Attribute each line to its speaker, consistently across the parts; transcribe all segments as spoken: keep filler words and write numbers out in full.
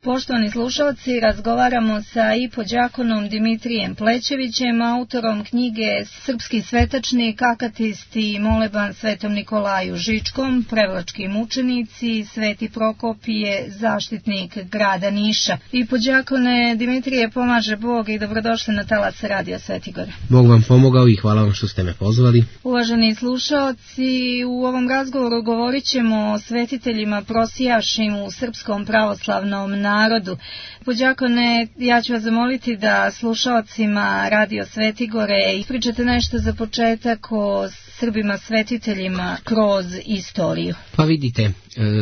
Speaker 1: Poštovani slušalci, razgovaramo sa ipođakonom Dimitrijem Plećevićem, autorom knjige Srpski svetačnik, akatist i moleban Svetom Nikolaju Žičkom, prevlački mučenici, Sveti Prokopije, zaštitnik grada Niša. Ipođakone Dimitrije, pomaže Bog i dobrodošli na talas Radio Svetigora.
Speaker 2: Bog vam pomogao i hvala vam što ste me pozvali.
Speaker 1: Uvaženi slušalci, u ovom razgovoru govorit ćemo o svetiteljima prosijašim u srpskom pravoslavnom narodu. narodu. Pođakone, ja ću vas zamoliti da slušalcima Radio Svetigore ispričate nešto za početak o Srbima svetiteljima kroz istoriju.
Speaker 2: Pa vidite,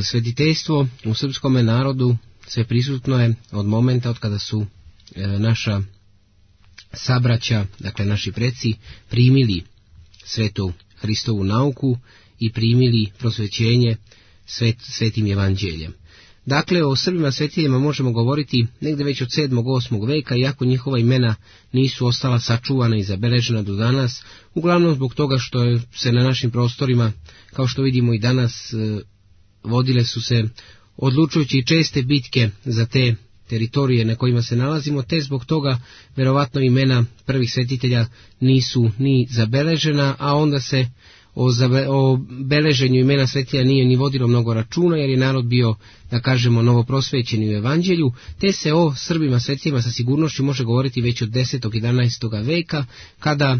Speaker 2: svetiteljstvo u srpskom narodu sve prisutno je od momenta od kada su naša sabraća, dakle naši preci, primili svetu Hristovu nauku i primili prosvećenje svet, svetim evanđeljem. Dakle, o Srbima svetiteljima možemo govoriti negde već od sedmog osmog veka, iako njihova imena nisu ostala sačuvana i zabeležena do danas, uglavnom zbog toga što se na našim prostorima, kao što vidimo i danas, vodile su se odlučujući i česte bitke za te teritorije na kojima se nalazimo, te zbog toga verovatno imena prvih svetitelja nisu ni zabeležena, a onda se O, zabe, o beleženju imena svetitelja nije ni vodilo mnogo računa, jer je narod bio, da kažemo, novoprosvećeni u evanđelju, te se o Srbima svetiteljima sa sigurnošću može govoriti već od desetog jedanaestog veka, kada e,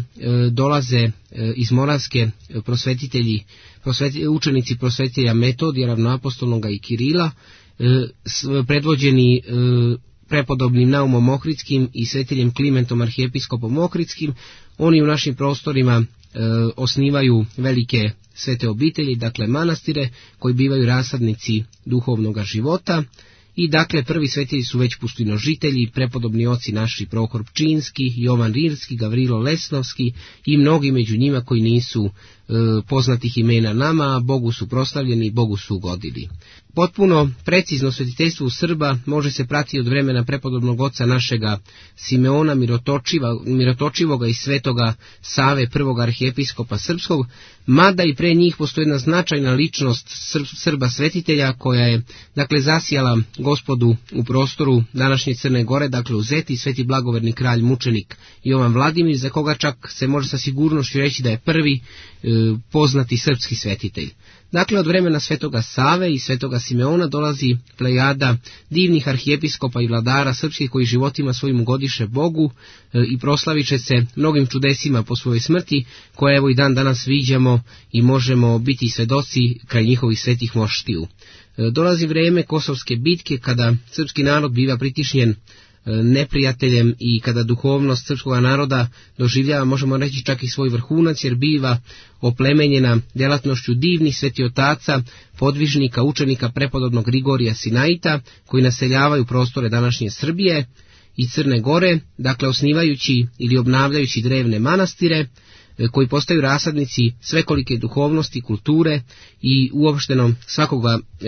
Speaker 2: dolaze e, iz Moravske prosvetitelji, prosveti, učenici prosvetitelja Metodija, ravnoapostolnoga i Kirila, e, s, predvođeni e, prepodobnim Naumom Ohridskim i svetiljem Klimentom arhijepiskopom Ohridskim. Oni u našim prostorima E, osnivaju velike svete obitelji, dakle manastire, koji bivaju rasadnici duhovnog života. I dakle prvi svetitelji su već pustinožitelji, prepodobni oci naši Prohor Pčinski, Jovan Rirski, Gavrilo Lesnovski i mnogi među njima koji nisu e, poznatih imena nama, a Bogu su proslavljeni i Bogu su ugodili. Potpuno precizno svetiteljstvo u Srba može se pratiti od vremena prepodobnog oca našega Simeona Mirotočivoga i svetoga Save, prvog arhijepiskopa srpskog, mada i pre njih postoji jedna značajna ličnost Srba svetitelja koja je, dakle, zasijala Gospodu u prostoru današnje Crne Gore, dakle u Zeti, sveti blagoverni kralj mučenik Jovan Vladimir, za koga čak se može sa sigurnošću reći da je prvi e, poznati srpski svetitelj. Dakle, od vremena svetoga Save i svetoga Simeona dolazi plejada divnih arhijepiskopa i vladara srpskih koji životima svojim ugodiše Bogu e, i proslavit će se mnogim čudesima po svojoj smrti, koje evo i dan danas viđamo i možemo biti svedoci kraj njihovih svetih moštiju. E, dolazi vrijeme Kosovske bitke, kada srpski narod biva pritišnjen neprijateljem i kada duhovnost srpskog naroda doživljava, možemo reći, čak i svoj vrhunac, jer biva oplemenjena djelatnošću divnih svetiotaca, podvižnika, učenika prepodobnog Grigorija Sinaita, koji naseljavaju prostore današnje Srbije i Crne Gore, dakle osnivajući ili obnavljajući drevne manastire, koji postaju rasadnici svekolike duhovnosti, kulture i uopšteno svakoga e,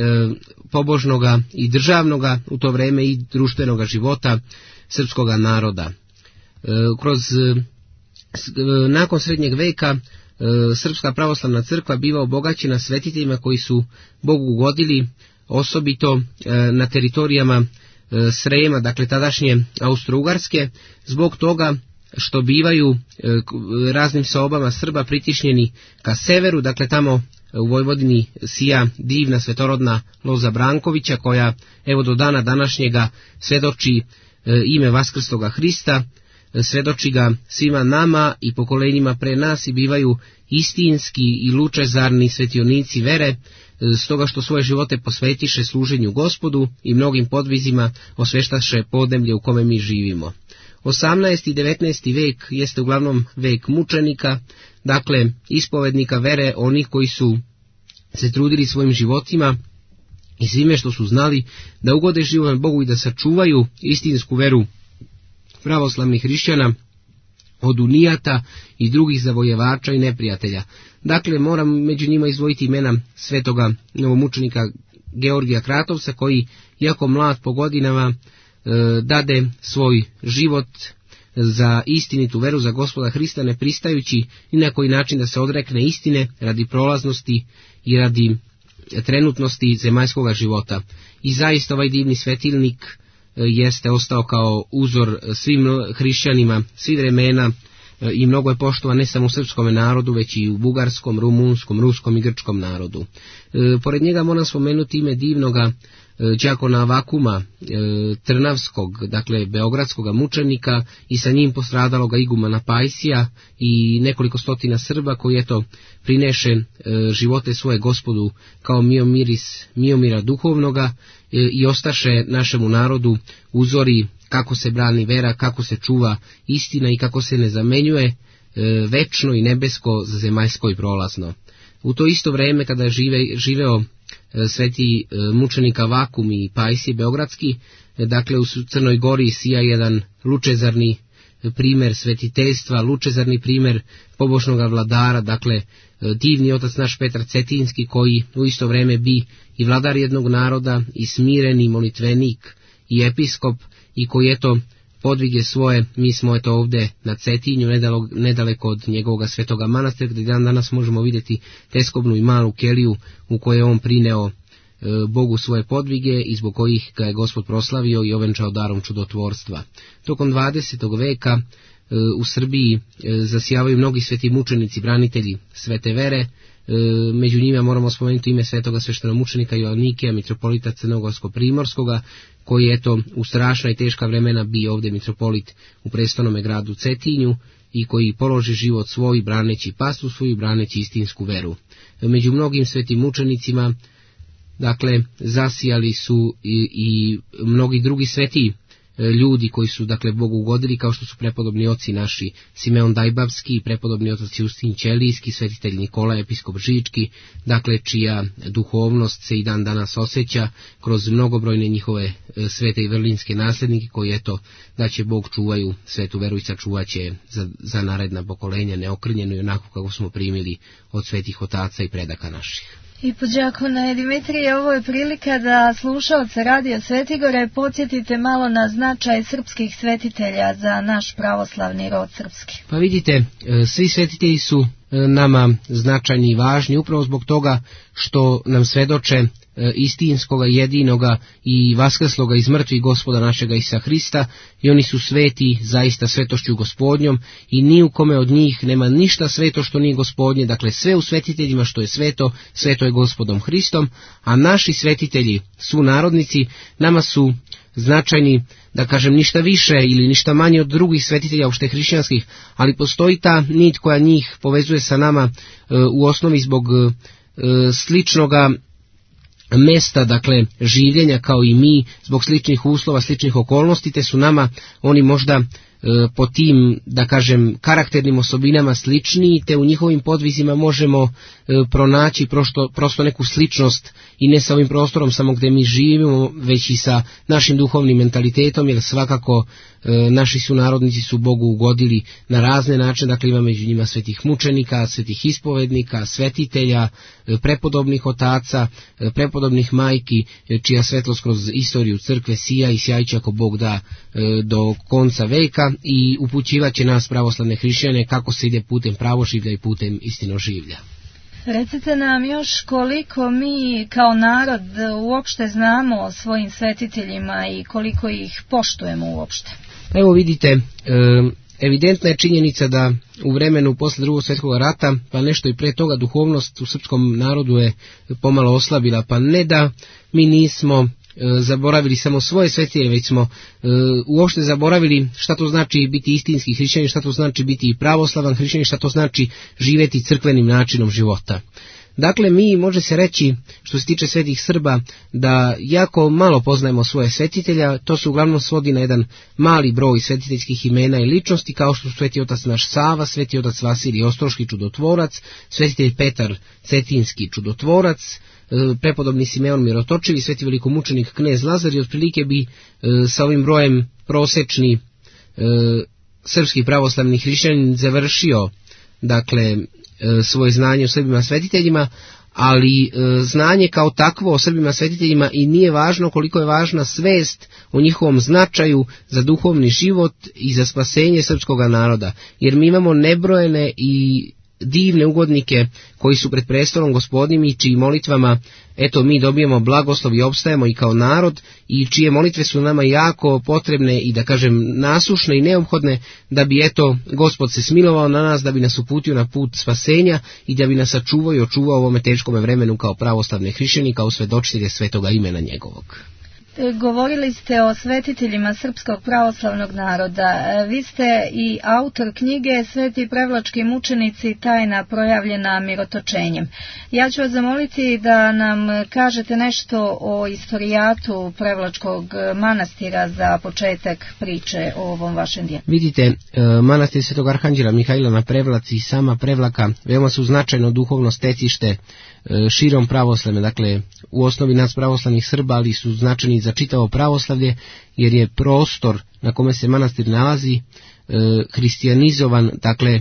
Speaker 2: pobožnoga i državnoga u to vreme i društvenoga života srpskoga naroda. E, kroz e, nakon srednjeg veka e, Srpska pravoslavna crkva biva obogaćena svetiteljima koji su Bogu ugodili, osobito e, na teritorijama e, Srema, dakle tadašnje Austro-Ugarske, zbog toga što bivaju e, raznim sobama Srba pritišnjeni ka severu, dakle tamo u Vojvodini sija divna svetorodna loza Brankovića, koja evo do dana današnjega svedoči e, ime Vaskrsloga Hrista, e, svedoči ga svima nama i pokolenjima pre nas i bivaju istinski i lučezarni svetionici vere, e, stoga što svoje živote posvetiše služenju Gospodu i mnogim podvizima osveštaše podneblje u kome mi živimo. osamnaesti i devetnaesti vek jeste uglavnom vek mučenika, dakle ispovednika vere, onih koji su se trudili svojim životima i svime što su znali da ugode život Bogu i da sačuvaju istinsku veru pravoslavnih hrišćana od unijata i drugih zavojevača i neprijatelja. Dakle, moram među njima izdvojiti imena svetoga novomučenika Georgija Kratovca, koji, iako mlad po godinama, dade svoj život za istinitu veru, za Gospoda Hrista, ne pristajući ni na koji način da se odrekne istine radi prolaznosti i radi trenutnosti zemaljskoga života. I zaista ovaj divni svetilnik jeste ostao kao uzor svim hrišćanima, svih vremena i mnogo je poštovan ne samo u srpskom narodu, već i u bugarskom, rumunskom, ruskom i grčkom narodu. Pored njega moram spomenuti ime divnoga đakona Vakuma, trnavskog, dakle beogradskog mučenika, i sa njim postradaloga igumana Pajsija i nekoliko stotina Srba koji eto prineše živote svoje Gospodu kao miomiris miomira duhovnoga i ostaše našemu narodu uzori kako se brani vera, kako se čuva istina i kako se ne zamenjuje večno i nebesko za zemaljsko i prolazno. U to isto vreme kada je žive, živeo sveti mučenika Vakum i Pajsije beogradski, dakle u Crnoj Gori sija jedan lučezarni primer svetiteljstva, lučezarni primer pobožnoga vladara, dakle divni otac naš Petar Cetinski, koji u isto vreme bi i vladar jednog naroda, i smireni molitvenik, i episkop, i koji eto podvige svoje, mi smo eto ovde na Cetinju, nedaleko od njegovog svetoga manastira, gdje dan danas možemo vidjeti teskobnu i malu keliju u kojoj je on prineo e, Bogu svoje podvige i zbog kojih ga je Gospod proslavio i ovenčao darom čudotvorstva. Tokom dvadesetog veka e, u Srbiji e, zasijavaju mnogi sveti mučenici, branitelji svete vere. E, među njima moramo spomenuti ime svetoga sveštenomučenika Joannikija, mitropolita Crnogorsko-primorskoga, koji je eto u strašna i teška vremena bio ovdje mitropolit u prestolnome gradu Cetinju i koji položi život svoj braneći pastu svoju, braneći istinsku veru. Među mnogim svetim mučenicima, dakle, zasijali su i, i mnogi drugi sveti ljudi koji su, dakle, Bogu ugodili, kao što su prepodobni oci naši Simeon Dajbavski, prepodobni otac Justin Ćelijski, svetitelj Nikola, episkop Žički, dakle, čija duhovnost se i dan danas osjeća kroz mnogobrojne njihove svete i vrlinske nasljednike, koji eto, da će Bog čuvaju svetu veru i sačuvat će za, za naredna pokolenja neokrnjeno i onako kako smo primili od svetih otaca i predaka naših.
Speaker 1: I po đakone Dimitrije, ovo je prilika da slušaoce Radio Svetigore podsjetite malo na značaj srpskih svetitelja za naš pravoslavni rod srpski.
Speaker 2: Pa vidite, svi svetitelji su nama značajni i važni upravo zbog toga što nam svedoče istinskoga, jedinoga i vaskrsloga iz mrtvih Gospoda našega Isusa Hrista, i oni su sveti zaista svetošću Gospodnjom i ni u kome od njih nema ništa sveto što nije Gospodnje, dakle sve u svetiteljima što je sveto, sveto je Gospodom Hristom, a naši svetitelji su narodnici, nama su značajni, da kažem, ništa više ili ništa manje od drugih svetitelja uopšte hrišćanskih, ali postoji ta nit koja njih povezuje sa nama e, u osnovi zbog e, sličnoga mesta, dakle, življenja kao i mi, zbog sličnih uslova, sličnih okolnosti, te su nama oni možda e, po tim, da kažem, karakternim osobinama sličniji, te u njihovim podvizima možemo e, pronaći prosto, prosto neku sličnost i ne sa ovim prostorom samo gdje mi živimo, već i sa našim duhovnim mentalitetom, jer svakako e, naši sunarodnici su Bogu ugodili na razne načine, dakle ima među njima svetih mučenika, svetih ispovednika, svetitelja, e, prepodobnih otaca, e, prepodobnih majki, e, čija svetlost kroz istoriju crkve sija i sjajće ako Bog da e, do konca veka i upućivaće nas pravoslavne hrišćane kako se ide putem pravoživlja i putem istinoživlja.
Speaker 1: Recite nam još koliko mi kao narod uopšte znamo o svojim svetiteljima i koliko ih poštujemo uopšte.
Speaker 2: Evo vidite, evidentna je činjenica da u vremenu posle drugog svjetskog rata, pa nešto i pre toga, duhovnost u srpskom narodu je pomalo oslabila, pa ne da mi nismo zaboravili samo svoje svetitelje, već smo e, uopšte zaboravili šta to znači biti istinski hrišćanin, šta to znači biti pravoslavan hrišćanin, šta to znači živjeti crkvenim načinom života. Dakle, mi može se reći, što se tiče svetih Srba, da jako malo poznajemo svoje svetitelja, to se uglavnom svodi na jedan mali broj svetiteljskih imena i ličnosti, kao što su sveti otac naš Sava, sveti otac Vasilij Ostroški čudotvorac, svetitelj Petar Cetinski čudotvorac, prepodobni Simeon Mirotočivi, sveti velikomučenik knez Lazar, i otprilike bi e, sa ovim brojem prosečni e, srpski pravoslavni hrišćanin završio, dakle, e, svoje znanje o Srbima svetiteljima, ali e, znanje kao takvo o Srbima svetiteljima i nije važno koliko je važna svest o njihovom značaju za duhovni život i za spasenje srpskog naroda, jer mi imamo nebrojene i divne ugodnike koji su pred prestolom Gospodnjim i čiji molitvama eto mi dobijemo blagoslov i opstajemo i kao narod i čije molitve su nama jako potrebne i da kažem nasušne i neophodne da bi eto Gospod se smilovao na nas, da bi nas uputio na put spasenja i da bi nas sačuvao i očuvao u ovome teškome vremenu kao pravoslavne hrišćani, kao svedočitelje svetoga imena njegovog.
Speaker 1: Govorili ste o svetiteljima srpskog pravoslavnog naroda. Vi ste i autor knjige Sveti prevlački mučenici, tajna projavljena mirotočenjem. Ja ću vas zamoliti da nam kažete nešto o istorijatu Prevlačkog manastira za početak priče o ovom vašem dijelu.
Speaker 2: Vidite, manastir Svetog Arhanđela Mihajla na Prevlaci i sama Prevlaka veoma su značajno duhovno stecište širom pravoslavlja, dakle u osnovi nas pravoslavnih Srba, ali su značajni za čitavo pravoslavlje, jer je prostor na kome se manastir nalazi e, hristijanizovan, dakle e,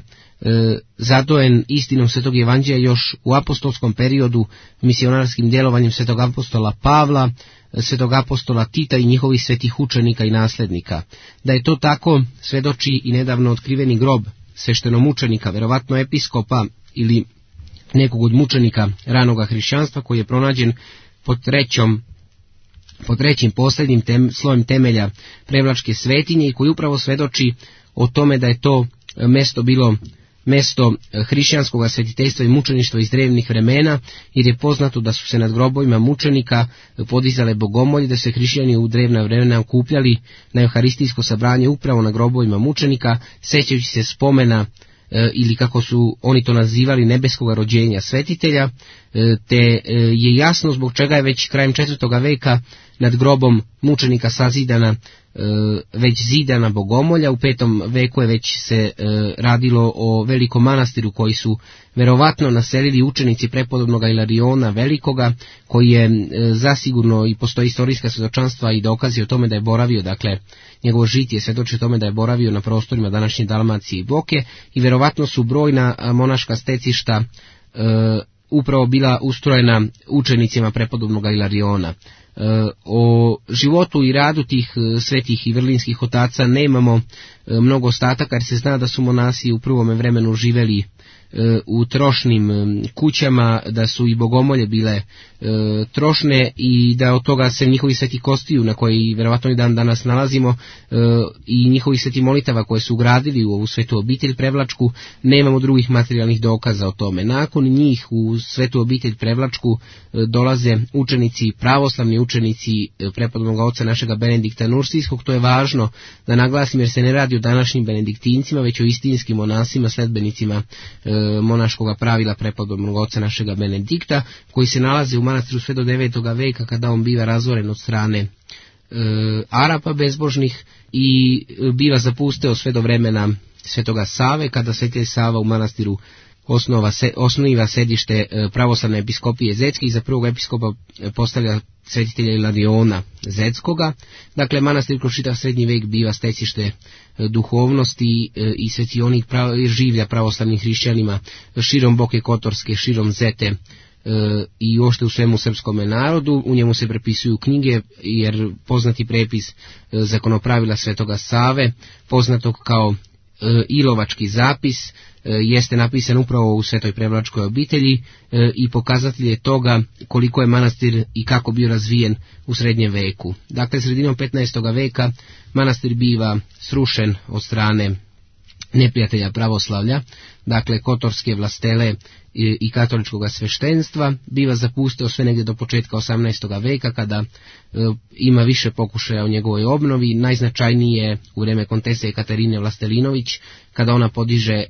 Speaker 2: zadojen istinom Svetog Evanđelja još u apostolskom periodu misionarskim djelovanjem Svetog apostola Pavla, Svetog apostola Tita i njihovih svetih učenika i naslednika. Da je to tako svedoči i nedavno otkriveni grob sveštenomučenika, verovatno episkopa ili nekog od mučenika ranoga hrišćanstva, koji je pronađen pod trećom pod trećim posljednjim tem, slojem temelja Prevlačke svetinje i koji upravo svedoči o tome da je to mesto bilo mesto hrišćanskog svetiteljstva i mučeništva iz drevnih vremena, jer je poznato da su se nad grobovima mučenika podizale bogomolje, da se hrišćani u drevna vremena okupljali na euharistijsko sabranje upravo na grobovima mučenika, sećajući se spomena ili kako su oni to nazivali nebeskog rođenja svetitelja, te je jasno zbog čega je već krajem četvrtog veka nad grobom mučenika sazidana već zidana bogomolja. U petom veku je već se radilo o velikom manastiru koji su verovatno naselili učenici prepodobnog Ilariona Velikoga, koji je zasigurno, i postoji istorijska svjedočanstva i dokazi o tome da je boravio, dakle njegovo žitije svjedoči o tome da je boravio na prostorima današnje Dalmacije i Boke, i verovatno su brojna monaška stecišta e, upravo bila ustrojena učenicima prepodobnog Ilariona. O životu i radu tih svetih i vrlinskih otaca nemamo mnogo ostataka, jer se zna da su monasi u prvome vremenu živeli u trošnim kućama, da su i bogomolje bile trošne i da od toga se njihovi sveti kostiju, na koji verovatno i dan danas nalazimo, i njihovi sveti molitava koje su ugradili u ovu svetu obitelj Prevlačku, nemamo drugih materijalnih dokaza o tome. Nakon njih u svetu obitelj Prevlačku dolaze učenici, pravoslavni učenici prepodobnog oca našega Benedikta Nursijskog. To je važno da naglasim, jer se ne radi o današnjim benediktincima, već o istinskim monasima, sledbenicima monaškoga pravila prepodobnog oca našega Benedikta, koji se nalaze u manastiru sve do devetog veka, kada on biva razoren od strane e, Arapa bezbožnih i biva zapusteo sve do vremena Svetoga Save, kada Sveti Sava u manastiru osnova, se, osniva sedište pravoslavne episkopije Zetske i za prvog episkopa postavlja svetitelja Ilariona Zetskoga. Dakle, manastir kroz čitav srednji vek biva stecište duhovnosti i svetionih prav, življa pravoslavnim hrišćanima širom Boke Kotorske, širom Zete i ošte u svemu srpskome narodu. U njemu se prepisuju knjige, jer poznati prepis zakonopravila Svetoga Save, poznatog kao Ilovački zapis, jeste napisan upravo u Svetoj Prevlačkoj obitelji i pokazatelj je toga koliko je manastir i kako bio razvijen u srednjem veku. Dakle, sredinom petnaestog veka manastir biva srušen od strane neprijatelja pravoslavlja, dakle kotorske vlastele i, i katoličkog sveštenstva, biva zapustio sve negdje do početka osamnaestog veka, kada e, ima više pokušaja u njegovoj obnovi. Najznačajniji je u vrijeme kontese Katarine Vlastelinović, kada ona podiže e,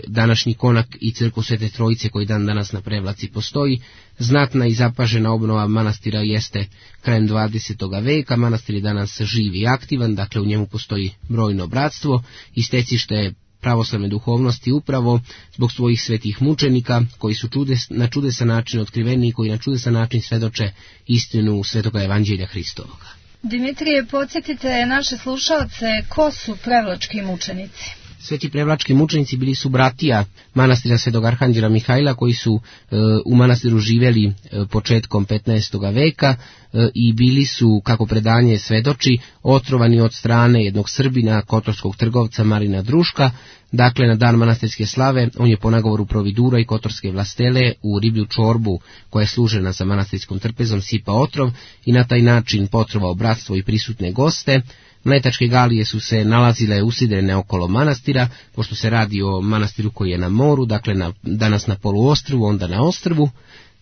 Speaker 2: današnji konak i crkvu Svete Trojice koji dan danas na Prevlaci postoji. Znatna i zapažena obnova manastira jeste krajem dvadesetog veka. Manastir je danas živ i aktivan, dakle u njemu postoji brojno bratstvo i stecište pravoslavne duhovnosti upravo zbog svojih svetih mučenika, koji su čudes, na čudesan način otkriveni i koji na čudesan način svedoče istinu Svetoga Evanđelja Hristovoga.
Speaker 1: Dimitrije, podsjetite naše slušalce, ko su prevlački mučenici?
Speaker 2: Sveti prevlački mučenici bili su bratija manastira Svetog Arhanđela Mihajla, koji su e, u manastiru živjeli e, početkom petnaestog veka e, i bili su, kako predanje svedoči, otrovani od strane jednog Srbina, kotorskog trgovca Marina Druška. Dakle, na dan manastirske slave on je po nagovoru providura i kotorske vlastele u riblju čorbu koja je služena za manastirskom trpezom sipa otrov i na taj način potrovao bratstvo i prisutne goste. Mletačke galije su se nalazile usidrene okolo manastira, pošto se radi o manastiru koji je na moru, dakle na, danas na poluostrvu, onda na ostrvu.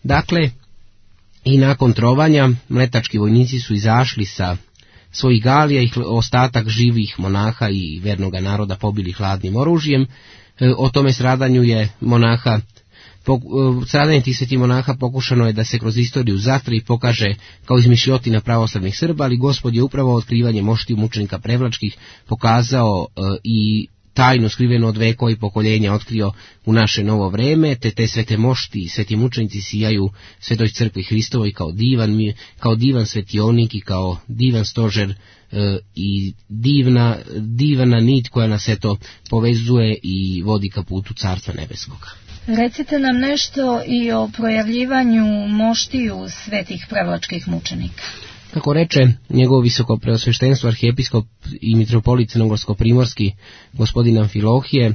Speaker 2: Dakle, i nakon trovanja mletački vojnici su izašli sa svojih galija i ostatak živih monaha i vernoga naroda pobili hladnim oružjem. O tome stradanju je monaha Stradanje tih svetih monaha pokušano je da se kroz istoriju zatre i pokaže kao izmišljotina pravoslavnih Srba, ali Gospod je upravo otkrivanje moštiju mučenika prevlačkih pokazao e, i tajnu skrivenu od vekova i pokoljenja otkrio u naše novo vreme, te te svete mošti i sveti mučenici sijaju Svetoj crkvi Hristovoj kao divan, kao divan svetionik i kao divan stožer e, i divna, divna nit koja nas eto povezuje i vodi ka putu Carstva Nebeskoga.
Speaker 1: Recite nam nešto i o projavljivanju moštiju svetih prevlačkih mučenika.
Speaker 2: Kako reče njegovo visoko preosveštenstvo arhijepiskop i mitropolit crnogorsko-primorski gospodin Amfilohije,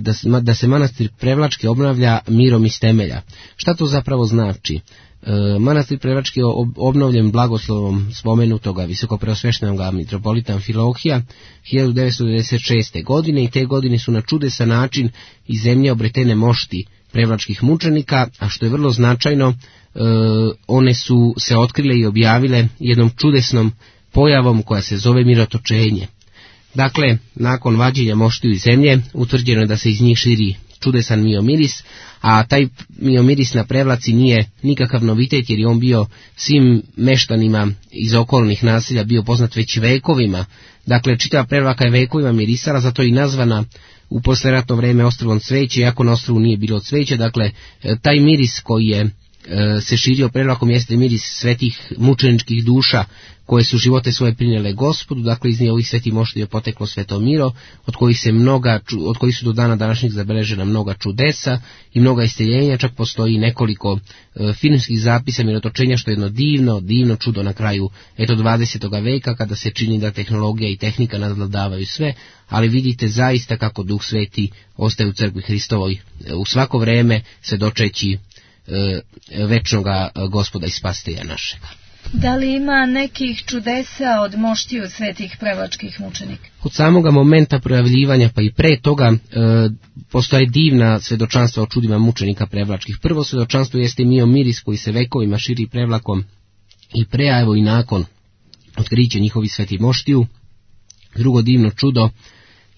Speaker 2: da se, da se manastir Prevlački obnavlja mirom iz temelja. Šta to zapravo znači? Manastir Prevlački je obnovljen blagoslovom spomenutoga visokopreosveštenoga mitropolita Amfilohija hiljadu devetsto devedeset šeste. godine i te godine su na čudesan način iz zemlje obretene mošti prevlačkih mučenika, a što je vrlo značajno, e, one su se otkrile i objavile jednom čudesnom pojavom koja se zove mirotočenje. Dakle, nakon vađenja moštiju iz zemlje, utvrđeno je da se iz njih širi čudesan miomiris, a taj miomiris na Prevlaci nije nikakav novitet jer je on bio svim meštanima iz okolnih naselja bio poznat već vekovima. Dakle, čitava Prevlaka je vekovima mirisala, zato je i nazvana u posleratno vreme ostrvom cveće, iako na ostrovu nije bilo cveće. Dakle, taj miris koji je se širio Prevlakom jeste miris svetih mučeničkih duša koje su živote svoje prinijele Gospodu. Dakle, iz ovih svetih moštiju je poteklo sveto miro, od kojih se mnoga, od kojih su do dana današnjeg zabeležena mnoga čudesa i mnoga isceljenja. Čak postoji nekoliko e, filmskih zapisa mirotočenja, što je jedno divno, divno čudo na kraju eto dvadesetog veka, kada se čini da tehnologija i tehnika nadvladavaju sve, ali vidite zaista kako Duh Sveti ostaje u crkvi Hristovoj e, u svako vreme svedočeći e, večnoga Gospoda i Spasitelja našega.
Speaker 1: Da li ima nekih čudesa od moštiju svetih prevlačkih mučenika?
Speaker 2: Od samoga momenta projavljivanja pa i pre toga e, postoje divna svedočanstva o čudima mučenika prevlačkih. Prvo svedočanstvo jeste miomiris koji se vekovima širi Prevlakom i pre, a evo i nakon otkrića njihovih svetih moštiju. Drugo divno čudo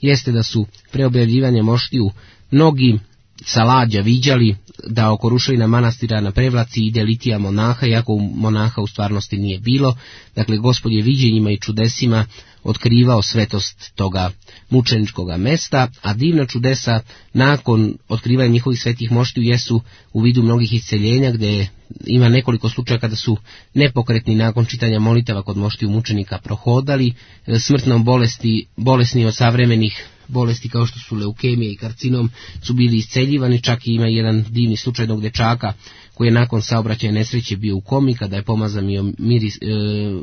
Speaker 2: jeste da su pre objavljivanja moštiju mnogi sa lađa viđali da oko ruševina manastira na Prevlaci ide litija monaha, iako monaha u stvarnosti nije bilo. Dakle, Gospod je viđenjima i čudesima otkrivao svetost toga mučeničkoga mesta, a divna čudesa nakon otkrivanja njihovih svetih moštiju jesu u vidu mnogih isceljenja, gdje ima nekoliko slučaja kada su nepokretni nakon čitanja molitava kod moštiju mučenika prohodali, smrtnom bolesti, bolesni od savremenih bolesti kao što su leukemija i karcinom su bili isceljivani. Čak i ima jedan divni slučaj jednog dečaka koji je nakon saobraćaja nesreće bio u komi, kada je pomazan mio, miris, e,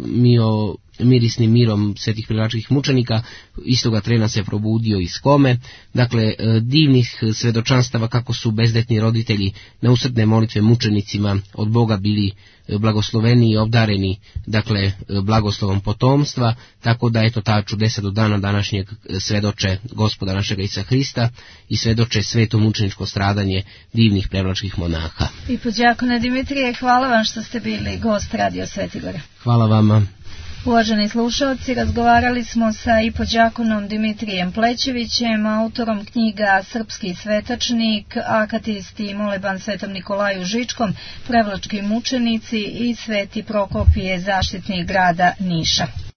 Speaker 2: mio, mirisnim mirom svetih prevlačkih mučenika, istoga trena se probudio iz kome. Dakle, e, divnih svedočanstava kako su bezdetni roditelji na usrdne molitve mučenicima od Boga bili blagosloveni i obdareni, dakle, blagoslovom potomstva, tako da eto ta čudesa do dana današnjeg svedoče Gospoda našega Isusa Hrista i svedoče sveto mučeničko stradanje divnih prevlačkih monaha.
Speaker 1: I podjakone Dimitrije, hvala vam što ste bili gost Radio Svetigora.
Speaker 2: Hvala vama.
Speaker 1: Uvaženi slušalci, razgovarali smo sa ipodjakonom Dimitrijem Plećevićem, autorom knjiga Srpski svetačnik, akatisti i moleban Svetom Nikolaju Žičkom, prevlački mučenici i Sveti Prokopije, zaštitnik grada Niša.